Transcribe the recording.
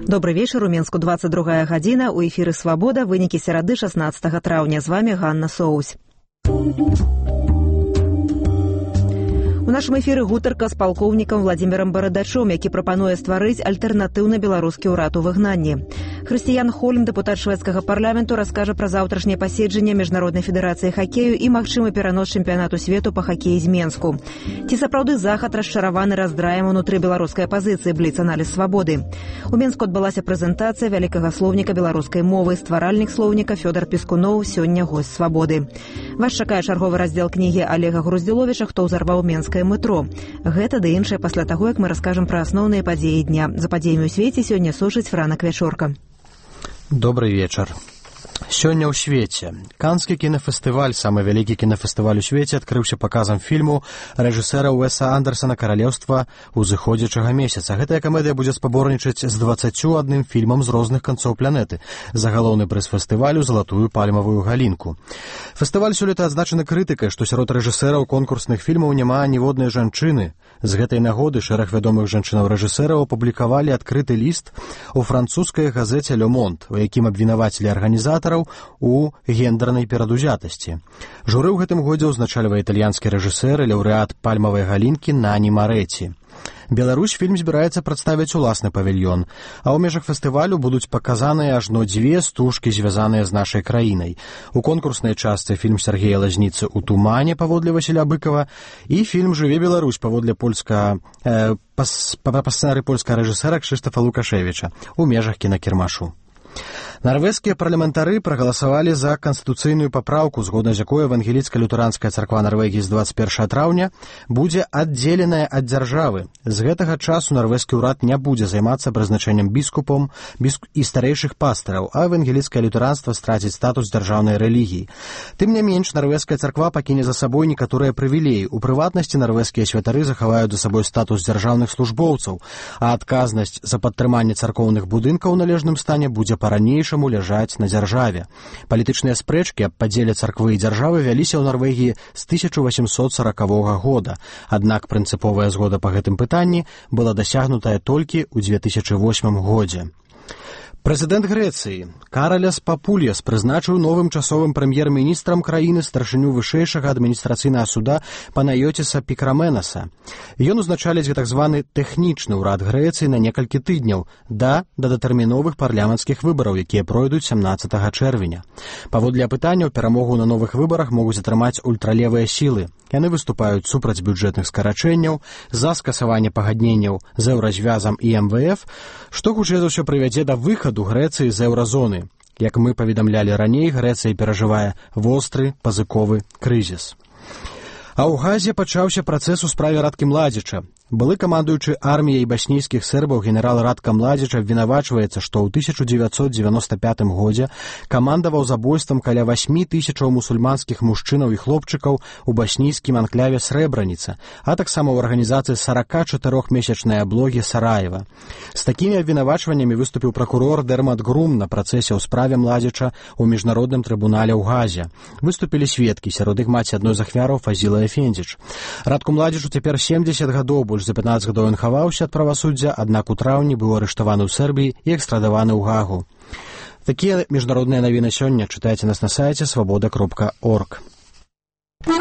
Добрый вечер. У Мінску 22 гадзіна. У эфіры «Свабода». Вынікі серады 16 траўня. З вами Ганна Соусь. У нашым эфіры гутарка з палкоўнікам Владзімірам Барадачом, які прапануе стварыць альтэрнатыўны беларускі ўрад у выгнанні. Хрысціян Хольм, дэпутат шведскага парламенту, раскажа пра заўтрашняе паседжанне Міжнароднай федэрацыі хакею і магчымы перанос чэмпіянату свету па хакеі з Менску. Ці сапраўды захад расчараваны раздраем унутры беларускай апазіцыі, бліц-аналіз «Свабоды». У Менску адбылася прэзентацыя вялікага слоўніка беларускай мовы. Стваральнік слоўніка Фёдар Пескуноў сёння госць «Свабоды». Вас чакае чарговы раздзел кнігі Олега Груздзіловіча «Хто ўзарваў менскае метро». Гэта ды іншае пасля таго, як мы раскажам пра асноўныя падзеі дня. За падзеямі ў свеце сёння сушыць Франак Вячорка. Добрый вечар. Сёння ў свеце. Канскі кінафестываль, самы вялікі кінафестываль у свеце, адкрыўся паказам фільму рэжысэра Уэса Андерсона «Каралеўства узыходзячага месяца». Гэтая камедыя будзе спаборнічаць з 21 фільмам з розных канцоў планеты. За галоўны прыз фестывалю «Залатую пальмавую галінку». Фестываль сёлета адзначаны крытыкай, што сярод рэжысэраў конкурсных фільмаў няма ніводнай жанчыны. З гэтай нагоды шэраг вядомых жанчынаў-рэжысэраў апублікавалі адкрыты ліст у французскай газеце «Le Monde», у якім абвінавацілі арганізатараў у гендернай перадузятасці. Журы ў гэтым годзе ўзначальвае італьянскі рэжысэр і лаўрэат пальмавай галінкі Нані Марэці. Беларусь фільм збіраецца прадставіць уласны павільён, а ў межах фестывалю будуць паказаныя ажно 2 стужкі, звязаныя з нашай краінай. У конкурснай частцы фільм Сергея Лазніцы «У тумане» паводле Васіля Быкова і фільм «Жыве Беларусь» паводле па сцэнарыі польскага рэжысэра Кшыштафа Лукашевіча у межах кінакірмашу. Нарвежскія парламентары прагаласавалі за канстытуцыйную папраўку, згодна з якой евангеліцка-лютэранская царква Нарвегіі з 21 траўня будзе аддзеленая ад дзяржавы. З гэтага часу нарвежскі ўрад не будзе займацца прызначэннем біскупом і старэйшых пастыраў, а евангеліцкае лютэранства страціць статус дзяржаўнай рэлігіі. Тым не менш, нарвежская царква пакіне за сабой некаторыя прывілеі. У прыватнасці нарвежскія святары захаваюць за сабой статус дзяржаўных службоўцаў, а адказнасць за падтрыманне царкоўных будынкаў у належным стане будзе па-ранейшаму ляжаць на дзяржаве. Палітычныя спрэчкі аб падзеле царквы і дзяржавы вяліся ў Нарвегіі з 1840 года. Аднак прынцыповая згода па гэтым пытанні была дасягнутая толькі ў 2008 годзе. Прэзідэнт Грэцыі Караляс Папульяс прызначыў новым часовым прэм'ер-міністрам краіны старшыню вышэйшага адміністрацыйнага суда Панайотіса Пікраменаса. Ён узначаліць так званы тэхнічны ўрад Грэцыі на некалькі тыдняў да датэрміновых парламенцкіх выбараў, якія пройдуць 17 чэрвеня. Паводле апытанняў, перамогу на новых выбарах могуць атрымаць ультралевыя сілы. Яны выступаюць супраць бюджэтных скарачэнняў, за скасаванне пагадненняў з еўразвязам і МВФ, што хутчэй за ўсё прывядзе да выхаду Грэцыі з еўразоны. Як мы паведамлялі раней, Грэцыя перажывае востры пазыковы крызіс. А ў Газе пачаўся працэс у справе Радкі Младзіча. Былы камандуючы арміяй баснійскіх сербаў генерал Радка Младзіч абвінавачваецца, што ў 1995 годзе камандаваў забойствам каля 8 тысячаў мусульманскіх мужчынаў і хлопчыкаў у баснійскім анклаве Срэбраніца, а таксама ў арганізацыі 44-месячнай аблогі Сараева. З такімі абвінавачваннямі выступіў пракурор Дермат Грум на працэсе ў справе Младзіча ў міжнародным трыбунале ў Газе. Выступілі сведкі, сярод іх маці адной з ахвяраў Фазіла Эфендзіч. Радку Младзічу цяпер 70 гадоў, за 15 гадоў ён хаваўся ад правасуддзя, аднак у траўні быў арыштаваны ў Сербіі і экстрадаваны ў Гагу. Такія міжнародныя навіны сёння чытайце нас на сайце свабода.орг.